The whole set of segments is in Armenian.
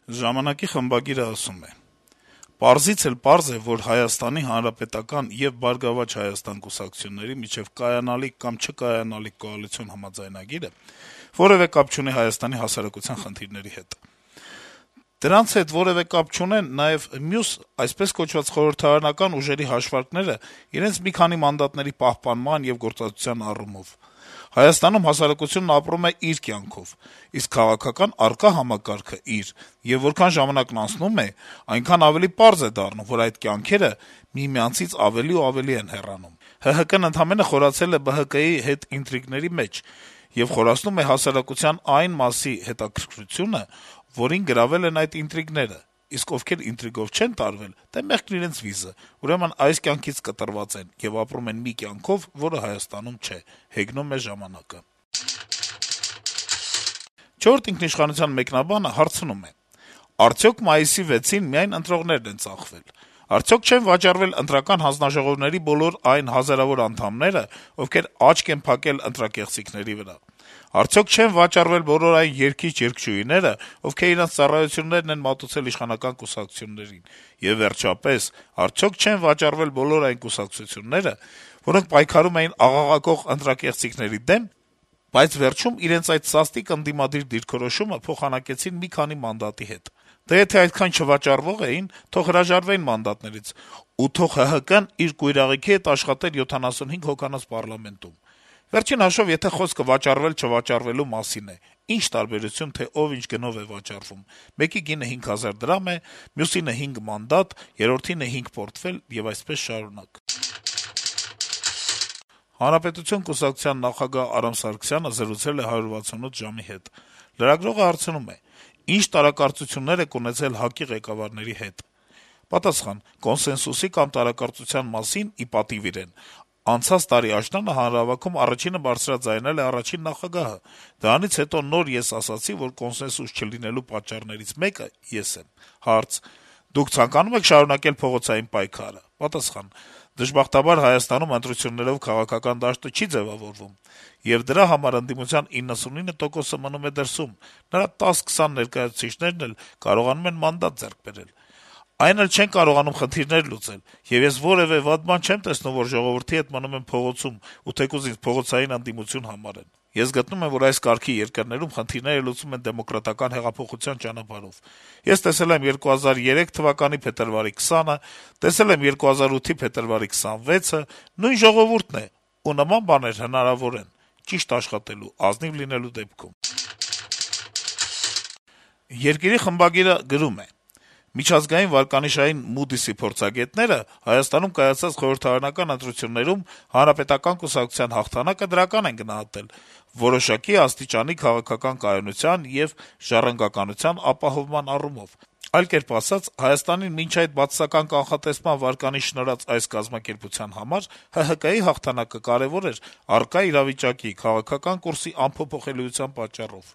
Ժամանակի խմբագիրը ասում է. - «Պարզից էլ պարզ է, որ Հայաստանի Հանրապետական եւ Բարգավաճ Հայաստան կուսակցությունների միջեւ կայանալիք կամ չկայանալիք կոալիցիոն համաձայնագիրը որեւէ կապ չունի Հայաստանի հասարակության խնդիրների հետ: Դրանց հետ որեւէ կապ չունեն նաեւ մյուս այսպես կոչված խորհրդարանական ուժերի հաշվարկները իրենց մի քանի մանդատների պահպանման եւ գործածության առումով: Հայաստանում հասարակությունն ապրում է իր կյանքով, իսկ քաղաքական առկա համակարգը` իր, եւ որքան ժամանակն անցնում է, այնքան ավելի պարզ է դառնում, որ այդ կյանքերը միմյանցից ավելի ու ավելի են հեռանում: ՀՀԿ-ն ընդամենը խորացել է ԲՀԿ-ի հետ ինտրիգների մեջ եւ խորացնում է հասարակության այն մասի հետաքրքրությունը, որին գրավել են այդ ինտրիգները, իսկ ովքեր ինտրիգով չեն տարվել, դե մեղքն իրենց վիզը, ուրեմն այս կյանքից կտրված են եւ ապրում են մի կյանքով, որը Հայաստանում չէ», հեգնում է «Ժամանակ»-ը: «Չորրորդ ինքնիշխանության» մեկնաբանը հարցնում է. - «Արդյոք մայիսի 6-ին միայն ընտրողներն են ծախվել: Արդյոք չեն վաճառվել ընտրական հանձնաժողովների բոլոր այն հազարավոր անդամները, ովքեր աչք են փակել ընտրակեղծիքների վրա: Արդյոք չեն վաճառվել բոլոր այն երգիչ-երգչուհիները, ովքեր իրենց ծառայություններն են մատուցել իշխանական կուսակցություններին: Եվ վերջապես, արդյոք չեն վաճառվել բոլոր այն կուսակցությունները, որոնք պայքարում էին աղաղակող ընտրակեղծիքների դեմ, բայց վերջում իրենց այդ սաստիկ ընդդիմադիր դիրքորոշումը փոխանակեցին մի քանի մանդատի հետ: Դե եթե այդքան չվաճառվող էին, թող հրաժարվեին մանդատներից, ու թող ՀՀԿ-ն իր կույրաղիքի հետ աշխատեր 75 հոգանոց պառլամենտում: Վերջին հաշվով, եթե խոսքը վաճառվել-չվաճառվելու մասին է, ի՞նչ տարբերություն, թե ով ինչ գնով է վաճառվում: Մեկի գինը 5000 դրամ է, մյուսինը 5 մանդատ, երրորդինը 5 պորտֆել եւ այսպես շարունակ»: Հանրապետություն կուսակցության նախագահ Արամ Սարգսյանը զրուցել է «168 ժամ»-ի հետ: Լրագրողը հարցնում է. - «Ինչ տարակարծություններ եք ունեցել ՀԱԿ-ի ղեկավարների հետ»: Պատասխան. - «Կոնսենսուսի կամ տարակարծության մասին, ի պատիվ իրեն, անցած տարի աշնանը հանրահավաքում առաջինը բարձրաձայնել է առաջին նախագահը: Դրանից հետո նոր ես ասացի, որ կոնսենսուս չլինելու պատճառներից մեկը ես եմ»: Հարց. - «Դուք ցանկանում եք շարունակել փողոցային պայքարը»: Պատասխան. - «Դժբախտաբար Հայաստանում ընտրություններով քաղաքական դաշտը չի ձեւավորվում, եւ դրա համար ընդդիմության 99%-ը մնում է դրսում, նրա 10-20 ներկայացուցիչներն էլ կարողանում են մանդատ ձեռք բերել: Այն էլ չեն կարողանում խնդիրներ լուծել, եւ ես որեւէ վատ բան չեմ տեսնում, որ ժողովրդի հետ մնում եմ փողոցում ու թեկուզ ինձ փողոցային ընդդիմություն համարեն: Ես գտնում եմ, որ այս կարգի երկրներում խնդիրները լուծվում են դեմոկրատական հեղափոխության ճանապարհով: Ես տեսել եմ 2003 թվականի փետրվարի 20-ը, տեսել եմ 2008-ի փետրվարի 26-ը, նույն ժողովուրդն է, ու նման բաներ հնարավոր են` ճիշտ աշխատելու, ազնիվ լինելու դեպքում»: «Երկիր»-ի խմբագիրը գրում է. - «Միջազգային վարկանիշային Moody's-ի փորձագետները Հայաստանում կայացած խորհրդարանական ընտրություններում Հանրապետական կուսակցության հաղթանակը դրական են գնահատել` որոշակի աստիճանի քաղաքական կայունության եւ ժառանգականության ապահովման առումով: Այլ կերպ ասած, Հայաստանին մինչ այդ բացասական կանխատեսման վարկանիշ շնորհած այս կազմակերպության համար ՀՀԿ-ի հաղթանակը կարեւոր էր առկա իրավիճակի, քաղաքական կուրսի անփոփոխելիության պատճառով: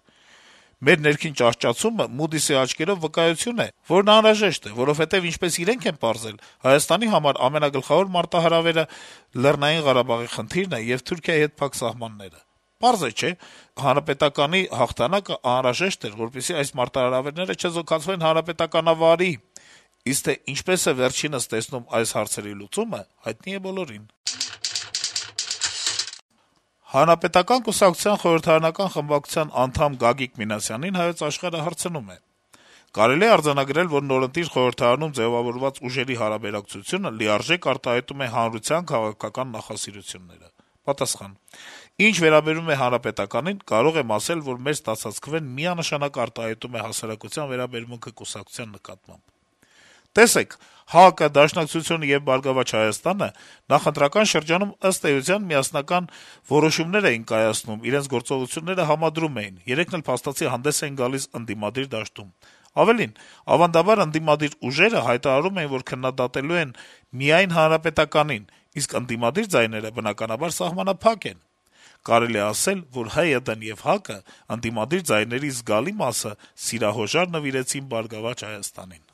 Մեր ներքին ճահճացումը Moody's-ի աչքերով վկայություն է, որն անհրաժեշտ է, որովհետեւ, ինչպես իրենք են պարզել, Հայաստանի համար ամենագլխավոր մարտահրավերը Լեռնային Ղարաբաղի խնդիրն է եւ Թուրքիայի հետ փակ սահմանները: Պարզ է, չէ՞: ՀՀԿ-ի հաղթանակը անհրաժեշտ էր, որպեսզի այս մարտահրավերները չեզոքացվեն հանրապետականավարի: Իսկ թե ինչպես է վերջինս տեսնում այս հարցերի լուծումը, հայտնի է բոլորին»: Հանրապետական կուսակցության խորհրդարանական խմբակցության անդամ Գագիկ Մինասյանին «Հայոց Աշխարհ»-ը հարցնում է. - «Կարելի է արձանագրել, որ նորընտիր խորհրդարանում ձեւավորված ուժերի հարաբերակցությունը լիարժեք արտահայտում է հանրության քաղաքական նախասիրությունները»: Պատասխան. - «Ինչ վերաբերում է Հանրապետականին, կարող եմ ասել, որ մեր ստացած քվեն միանշանակ արտահայտում է հասարակության վերաբերմունքը կուսակցության նկատմամբ: Տեսեք, ՀԱԿ-ը, Դաշնակցությունը եւ Բարգավաճ Հայաստանը նախընտրական շրջանում, ըստ էության, միասնական որոշումներ էին կայացնում, իրենց գործողությունները համադրում էին, երեքն էլ փաստացի հանդես էին գալիս ընդդիմադիր դաշտում: Ավելին, ավանդաբար ընդդիմադիր ուժերը հայտարարում էին, որ քննադատելու են միայն Հանրապետականին, իսկ ընդդիմադիր ձայները, բնականաբար, սահմանափակ են: Կարելի է ասել, որ ՀՅԴ-ն եւ ՀԱԿ-ը ընդդիմադիր ձայների զգալի մասը սիրահոժար նվիրեցին Բարգավաճ Հայաստանին»: